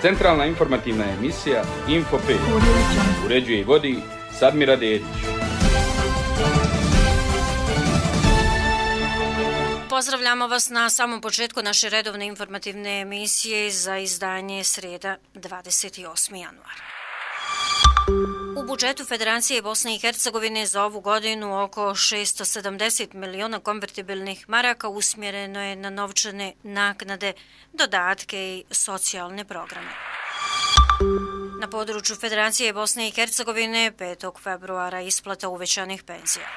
Centralna informativna emisija Info 5. Uređuje i vodi Sadmira Dedić. Pozdravljamo vas na samom početku naše redovne informativne emisije za izdanje sreda 28. januara. U budžetu Federacije Bosne i Hercegovine za ovu godinu oko 670 miliona konvertibilnih maraka usmjereno je na novčane naknade, dodatke i socijalne programe. Na području Federacije Bosne i Hercegovine 5. februara isplata uvećanih penzija.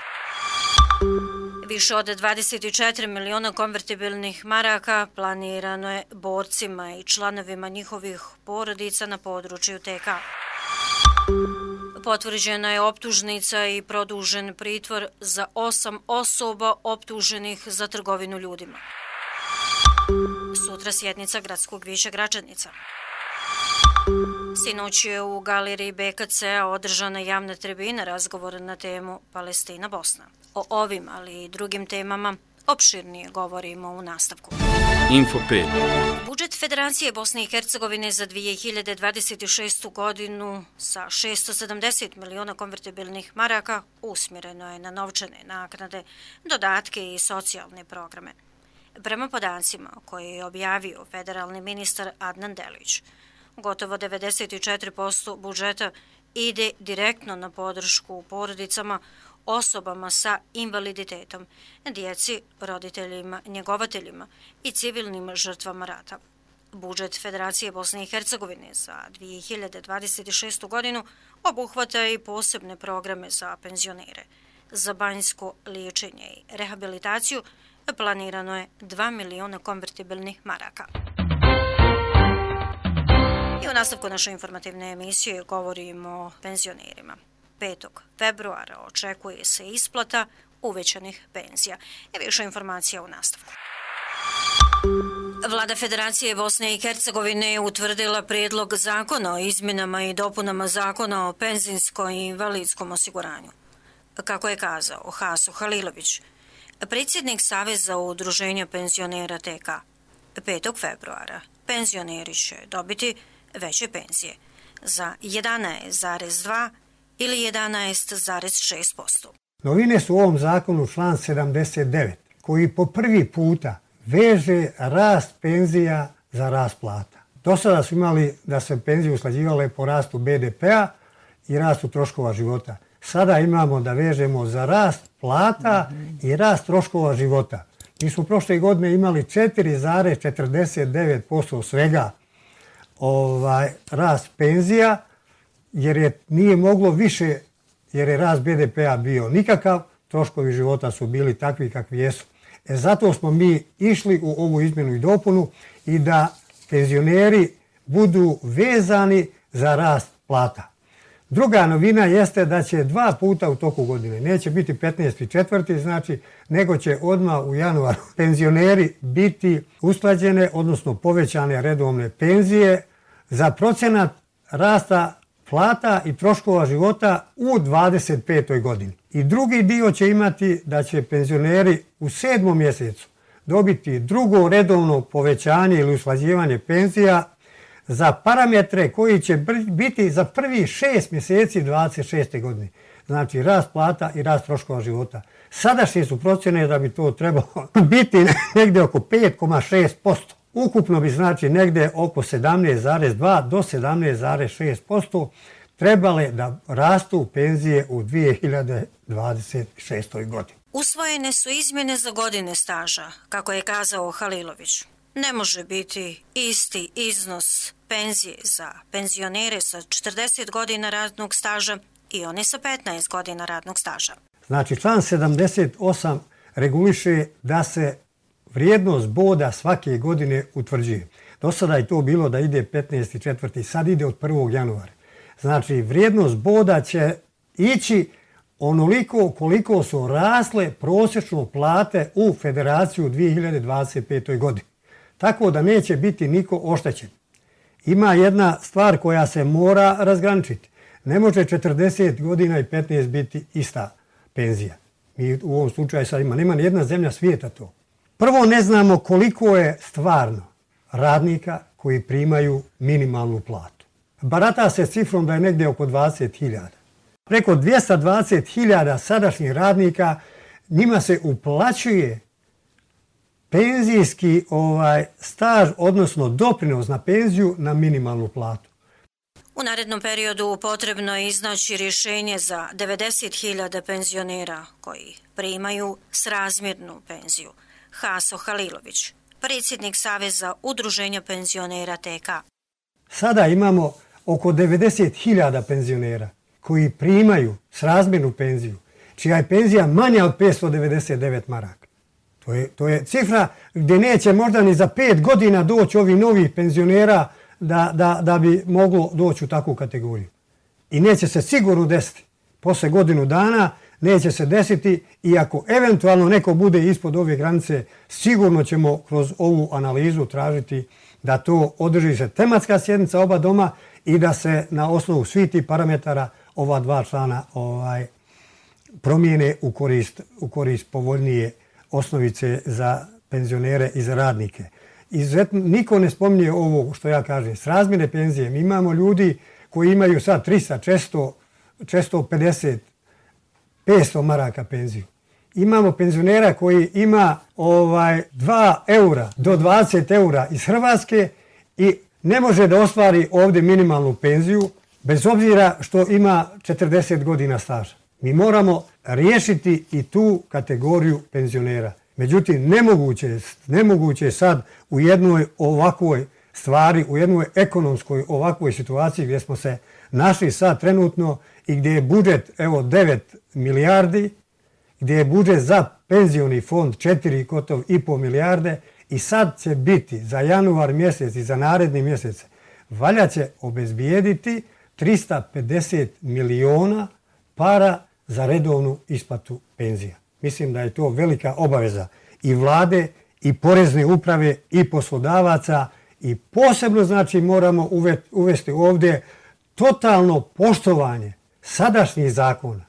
Više od 24 miliona konvertibilnih maraka planirano je borcima i članovima njihovih porodica na području TK. Potvrđena je optužnica i produžen pritvor za 8 osoba optuženih za trgovinu ljudima. Sutra sjednica Gradskog vijeća Gračanica. Sinoć je u galeriji BKC-a održana javna tribina razgovora na temu Palestina-Bosna. O ovim, ali i drugim temama opširnije govorimo u nastavku. Info 5. Budžet Federacije Bosne i Hercegovine za 2026. godinu sa 670 miliona konvertibilnih maraka usmjereno je na novčane naknade, dodatke i socijalne programe. Prema podacima koje je objavio federalni ministar Adnan Delić, gotovo 94% budžeta ide direktno na podršku porodicama, osobama sa invaliditetom, djeci, roditeljima, njegovateljima i civilnim žrtvama rata. Budžet Federacije Bosne i Hercegovine za 2026. godinu obuhvata i posebne programe za penzionere. Za banjsko liječenje i rehabilitaciju planirano je 2 miliona konvertibilnih maraka. I u nastavku naše informativne emisije govorimo o penzionerima. 5. februara očekuje se isplata uvećanih penzija. I više informacija u nastavku. Vlada Federacije Bosne i Hercegovine je utvrdila prijedlog zakona o izmjenama i dopunama zakona o penzijskom i invalidskom osiguranju. Kako je kazao Haso Halilović, predsjednik Saveza udruženja penzionera TK, 5. februara penzioneri će dobiti veće penzije za 11,2 ili 11,6%. Novine su u ovom zakonu član 79, koji po prvi puta veže rast penzija za rast plata. Do sada su imali da se penzije usklađivale po rastu BDP-a i rastu troškova života. Sada imamo da vežemo za rast plata i rast troškova života. Mi smo prošle godine imali 4,49% svega rast penzija, jer nije moglo više, jer je rast BDP-a bio nikakav, troškovi života su bili takvi kakvi jesu. Zato smo mi išli u ovu izmjenu i dopunu i da penzioneri budu vezani za rast plata. Druga novina jeste da će 2 puta u toku godine, neće biti 15.4., znači, nego će odmah u januaru penzioneri biti usklađene, odnosno povećane redovne penzije za procenat rasta plata i troškova života u 25. godini. I drugi dio će imati da će penzioneri u 7. mjesecu dobiti drugo redovno povećanje ili usklađivanje penzija za parametre koji će biti za prvi 6 mjeseci 26. godine. Znači rast plata i rast troškova života. Sadašnje su procjene da bi to trebalo biti negdje oko 5,6%. Ukupno bi znači negdje oko 17,2 do 17,6% trebale da rastu penzije u 2026. godini. Usvojene su izmjene za godine staža, kako je kazao Halilović. Ne može biti isti iznos penzije za penzionere sa 40 godina radnog staža i one sa 15 godina radnog staža. Znači član 78 reguliše da se vrijednost boda svake godine utvrđuje. Do sada je to bilo da ide 15.4., sad ide od 1. januara. Znači vrijednost boda će ići onoliko koliko su rasle prosječno plate u Federaciju u 2025. godini. Tako da neće biti niko oštećen. Ima jedna stvar koja se mora razgraničiti. Ne može 40 godina i 15 biti ista penzija. Mi u ovom slučaju sad nema nijedna zemlja svijeta to. Prvo ne znamo koliko je stvarno radnika koji primaju minimalnu platu. Barata se cifrom da je negdje oko 20.000. Preko 220.000 sadašnjih radnika, njima se uplaćuje penzijski staž, odnosno doprinos na penziju na minimalnu platu. U narednom periodu potrebno je iznaći rješenje za 90.000 penzionera koji primaju srazmjernu penziju. Haso Halilović, predsjednik Saveza udruženja penzionera TK. Sada imamo oko 90.000 penzionera koji primaju srazmjernu penziju, čija je penzija manja od 599 maraka. To je cifra gdje neće možda ni za 5 godina doći ovi novih penzionera da bi moglo doći u takvu kategoriju. I neće se sigurno desiti. Posle godinu dana neće se desiti i ako eventualno neko bude ispod ove granice, sigurno ćemo kroz ovu analizu tražiti da to održi se tematska sjednica oba doma i da se na osnovu svih tih parametara ova dva člana promijene u korist povoljnije osnovice za penzionere i za radnike. Niko ne spominje ovo što ja kažem, srazmjerne penzije. Mi imamo ljudi koji imaju sad 300, 450, 500 maraka penziju. Imamo penzionera koji ima 2 eura do 20 eura iz Hrvatske i ne može da ostvari ovdje minimalnu penziju bez obzira što ima 40 godina staža. Mi moramo riješiti i tu kategoriju penzionera. Međutim, nemoguće je sad u jednoj ovakvoj stvari, u jednoj ekonomskoj ovakvoj situaciji gdje smo se našli sad trenutno i gdje je budžet 9 milijardi, gdje je budžet za penzioni fond 4,5 milijarde i sad će biti za januar mjesec i za naredni mjesec valja će obezbijediti 350 miliona para za redovnu isplatu penzija. Mislim da je to velika obaveza i vlade, i porezne uprave, i poslodavaca i posebno znači moramo uvesti ovdje totalno poštovanje sadašnjih zakona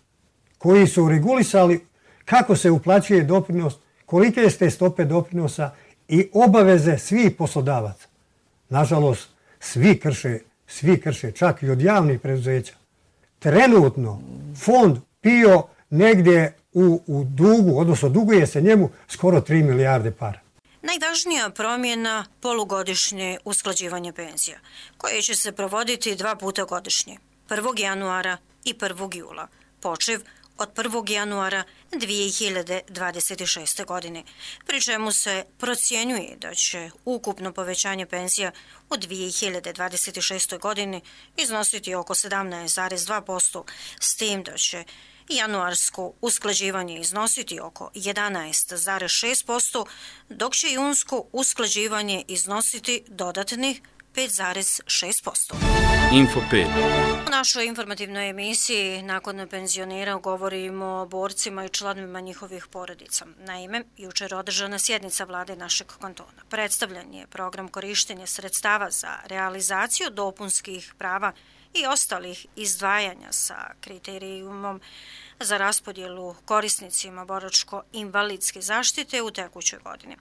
koji su regulisali kako se uplaćuje doprinos, kolike ste stope doprinosa i obaveze svih poslodavaca. Nažalost, svi krše, čak i od javnih preduzeća. Trenutno fond PIO negdje u dugu, odnosno duguje se njemu skoro 3 milijarde para. Najvažnija promjena polugodišnje usklađivanje penzija, koje će se provoditi 2 puta godišnje, 1. januara i 1. jula, počev od 1. januara 2026. godine, pri čemu se procjenjuje da će ukupno povećanje penzija u 2026. godini iznositi oko 17,2%, s tim da će januarsko usklađivanje iznositi oko 11,6%, dok će junsko usklađivanje iznositi dodatnih 5,6%. Info 5. U našoj informativnoj emisiji nakon penzionera govorimo o borcima i članovima njihovih porodica. Naime, jučer održana sjednica vlade našeg kantona. Predstavljen je program korištenja sredstava za realizaciju dopunskih prava i ostalih izdvajanja sa kriterijumom za raspodjelu korisnicima boračko-invalidske zaštite u tekućoj godini.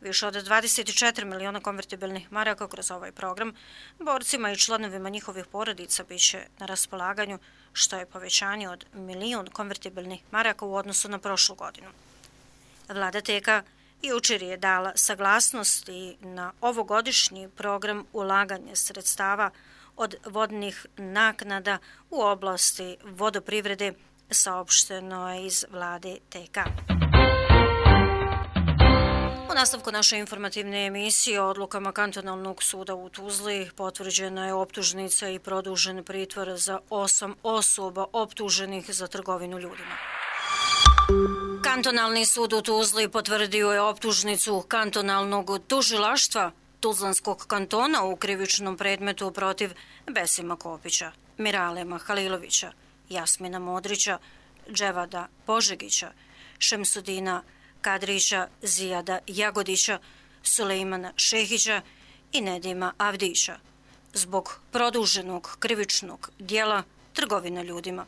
Više od 24 miliona konvertibilnih maraka kroz ovaj program borcima i članovima njihovih porodica biće na raspolaganju, što je povećanje od 1 milion konvertibilnih maraka u odnosu na prošlu godinu. Vlada TK jučer je dala saglasnost i na ovogodišnji program ulaganja sredstava od vodnih naknada u oblasti vodoprivrede, saopšteno je iz vlade TK. U nastavku naše informativne emisije o odlukama kantonalnog suda u Tuzli potvrđena je optužnica i produžen pritvor za 8 osoba optuženih za trgovinu ljudima. Kantonalni sud u Tuzli potvrdio je optužnicu kantonalnog tužilaštva Tuzlanskog kantona u krivičnom predmetu protiv Besima Kopića, Miralema Halilovića, Jasmina Modrića, Dževada Požegića, Šemsudina Kadrića, Zijada Jagodića, Sulejmana Šehića i Nedima Avdića zbog produženog krivičnog dijela trgovine ljudima,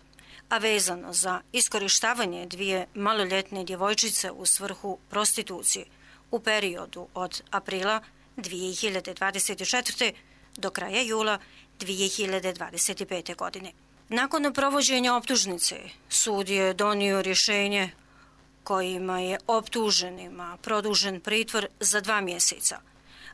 a vezano za iskorištavanje 2 maloljetne djevojčice u svrhu prostitucije u periodu od aprila 2024. do kraja jula 2025. godine. Nakon provođenja optužnice, sud je donio rješenje kojima je optuženima produžen pritvor za 2 mjeseca,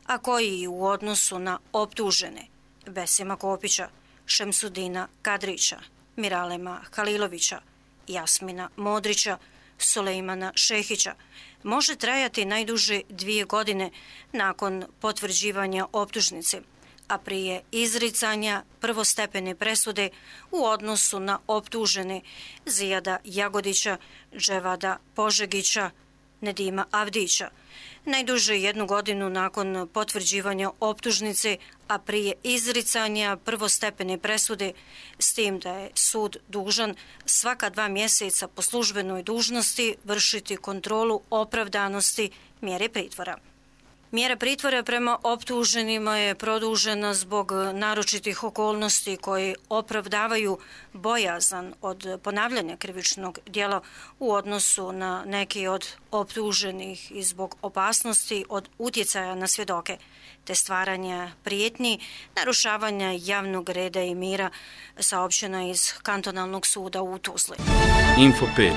a koji u odnosu na optužene Besima Kopića, Šemsudina Kadrića, Miralema Halilovića, Jasmina Modrića, Sulejmana Šehića može trajati najduže 2 godine nakon potvrđivanja optužnice, a prije izricanja prvostepene presude u odnosu na optužene Zijada Jagodića, Dževada Požegića, Nedima Avdića. Najduže 1 godinu nakon potvrđivanja optužnice, a prije izricanja prvostepene presude, s tim da je sud dužan svaka 2 mjeseca po službenoj dužnosti vršiti kontrolu opravdanosti mjere pritvora. Mjera pritvora prema optuženima je produžena zbog naročitih okolnosti koje opravdavaju bojazan od ponavljanja krivičnog djela u odnosu na neki od optuženih i zbog opasnosti od utjecaja na svjedoke, te stvaranja prijetnji, narušavanja javnog reda i mira, saopćeno iz kantonalnog suda u Tuzli. Info 5.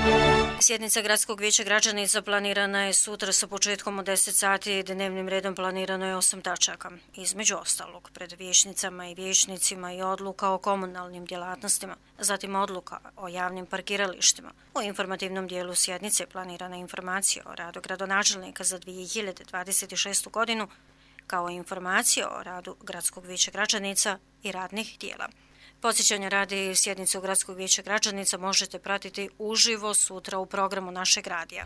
Sjednica Gradskog vijeća građanica planirana je sutra sa početkom od 10 sati. Dnevnim redom planirano je 8 tačaka. Između ostalog, pred vijećnicama i vijećnicima i odluka o komunalnim djelatnostima, zatim odluka o javnim parkiralištima. U informativnom dijelu sjednice planirana informacija o radu gradonačelnika za 2026. godinu, kao i informacija o radu Gradskog vijeća građanica i radnih tijela. Podsjećanja radi sjednicu Gradskog vijeća građanica možete pratiti uživo sutra u programu našeg radija.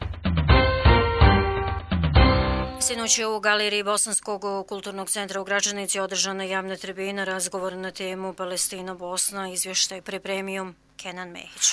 Sinoć je u galeriji Bosanskog kulturnog centra u Gračanici održana javna tribina, razgovor na temu Palestina-Bosna, izvještaj pripremio Kenan Mehić.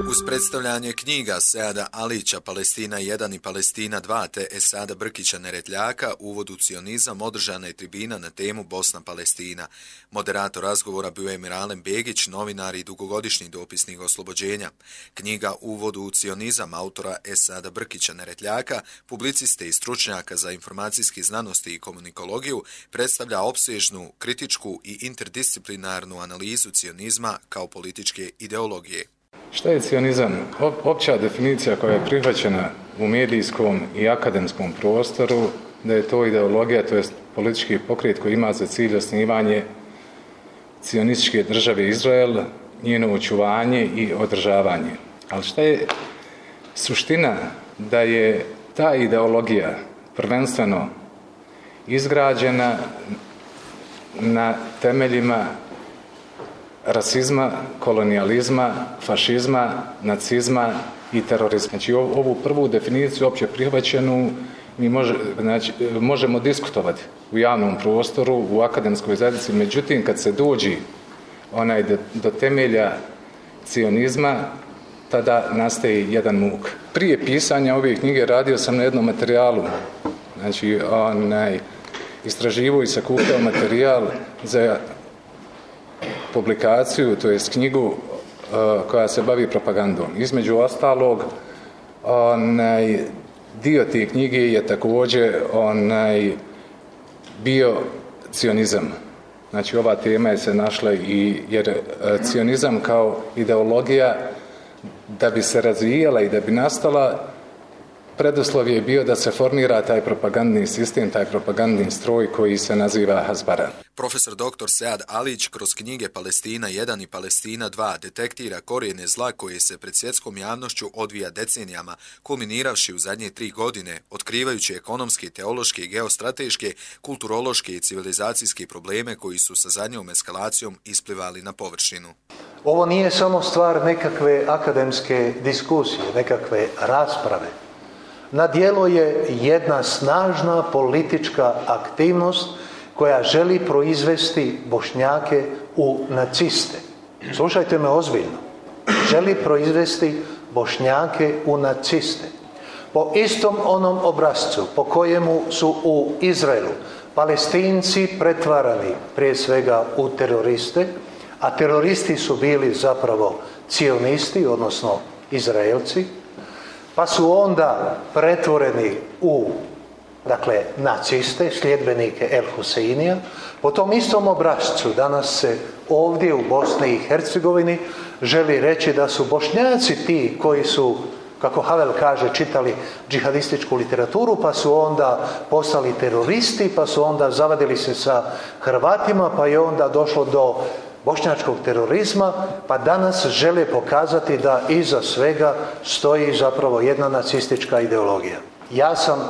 Uz predstavljanje knjiga Seada Alića Palestina 1 i Palestina 2 te Esada Brkića Neretljaka, uvod u cionizam, održana je tribina na temu Bosna-Palestina. Moderator razgovora bio je Miralem Begić, novinar i dugogodišnji dopisnik oslobođenja. Knjiga Uvod u cionizam autora Esada Brkića Neretljaka, publiciste i stručnjaka za informacijske znanosti i komunikologiju, predstavlja opsežnu, kritičku i interdisciplinarnu analizu cionizma kao političke ideologije. Šta je cionizam? Opća definicija koja je prihvaćena u medijskom i akademskom prostoru, da je to ideologija, to je politički pokret koji ima za cilj osnivanje cionističke države Izrael, njeno očuvanje i održavanje. Ali šta je suština? Da je ta ideologija prvenstveno izgrađena na temeljima rasizma, kolonijalizma, fašizma, nacizma i terorizma. Znači ovu prvu definiciju opće prihvaćenu mi možemo diskutovati u javnom prostoru, u akademskoj zajednici, međutim kad se dođi do temelja cionizma, tada nastaje jedan muk. Prije pisanja ove knjige radio sam na jednom materijalu, znači istraživao i sakupljao materijal za publikaciju, to jest knjigu koja se bavi propagandom. Između ostalog, dio te knjige je također bio cionizam. Znači ova tema je se našla jer cionizam kao ideologija da bi se razvijala i da bi nastala, preduslov je bio da se formira taj propagandni sistem, taj propagandni stroj koji se naziva Hasbara. Profesor dr. Sead Alić kroz knjige Palestina 1 i Palestina 2 detektira korijene zla koje se pred svjetskom javnošću odvija decenijama, kulminiravši u zadnje 3 godine, otkrivajući ekonomske, teološke, geostrateške, kulturološke i civilizacijske probleme koji su sa zadnjom eskalacijom isplivali na površinu. Ovo nije samo stvar nekakve akademske diskusije, nekakve rasprave. Na djelu je jedna snažna politička aktivnost koja želi proizvesti Bošnjake u naciste. Slušajte me ozbiljno. Želi proizvesti Bošnjake u naciste. Po istom onom obrascu po kojemu su u Izraelu Palestinci pretvarani prije svega u teroriste, a teroristi su bili zapravo cionisti, odnosno Izraelci, pa su onda pretvoreni u dakle naciste, sljedbenike El Huseinija. Po tom istom obrascu danas se ovdje u Bosni i Hercegovini želi reći da su Bošnjaci ti koji su, kako Havel kaže, čitali džihadističku literaturu, pa su onda postali teroristi, pa su onda zavadili se sa Hrvatima, pa je onda došlo do bošnjačkog terorizma, pa danas žele pokazati da iza svega stoji zapravo jedna nacistička ideologija. Ja sam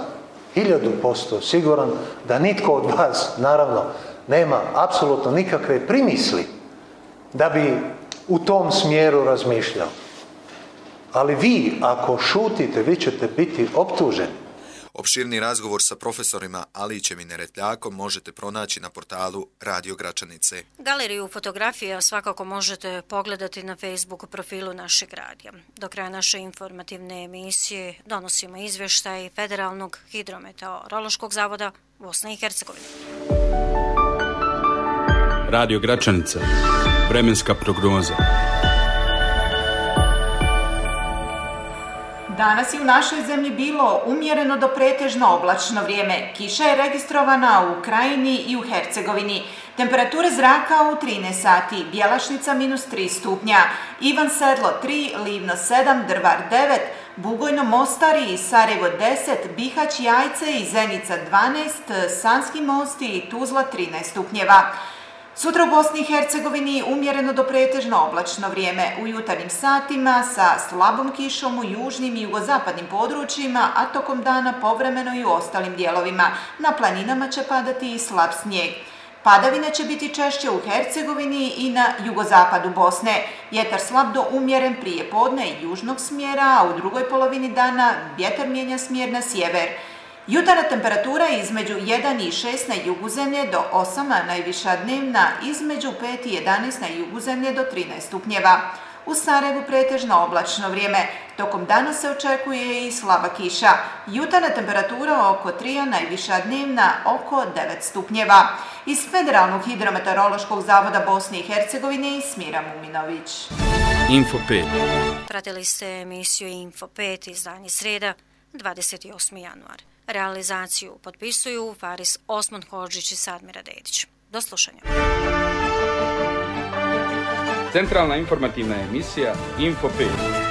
1000% siguran da nitko od vas, naravno, nema apsolutno nikakve primisli da bi u tom smjeru razmišljao. Ali vi, ako šutite, vi ćete biti optuženi. Opširni razgovor sa profesorima Alićem i Neretljakom možete pronaći na portalu Radio Gračanice. Galeriju fotografija svakako možete pogledati na Facebook profilu našeg radija. Do kraja naše informativne emisije donosimo izvještaj Federalnog hidrometeorološkog zavoda Bosne i Hercegovine. Radio Gračanica. Vremenska prognoza. Danas je u našoj zemlji bilo umjereno do pretežno oblačno vrijeme. Kiša je registrovana u Krajini i u Hercegovini. Temperature zraka u 13 sati, Bjelašnica -3 stupnja, Ivan Sedlo 3, Livno 7, Drvar 9, Bugojno Mostar i Sarajevo 10, Bihać, Jajce i Zenica 12, Sanski Most i Tuzla 13 stupnjeva. Sutra u Bosni i Hercegovini umjereno do pretežno oblačno vrijeme u jutarnjim satima sa slabom kišom u južnim i jugozapadnim područjima, a tokom dana povremeno i u ostalim dijelovima. Na planinama će padati i slab snijeg. Padavine će biti češće u Hercegovini i na jugozapadu Bosne. Vjetar slab do umjeren prije podne i južnog smjera, a u drugoj polovini dana vjetar mijenja smjer na sjever. Jutarnja temperatura između 1 i 6 na jugu zemlje do 8, a najviša dnevna između 5 i 11 na jugu zemlje do 13 stupnjeva. U Sarajevu pretežno oblačno vrijeme. Tokom dana se očekuje i slaba kiša. Jutarnja temperatura oko 3, a najviša dnevna oko 9 stupnjeva. Iz Federalnog hidrometeorološkog zavoda Bosne i Hercegovine Smira Muminović. Info 5. Pratili ste emisiju Info 5, izdanje sreda, 28. januar. Realizaciju potpisuju Faris Osman Hodžić i Sadmira Dedić. Do slušanja. Centralna informativna emisija Info 5.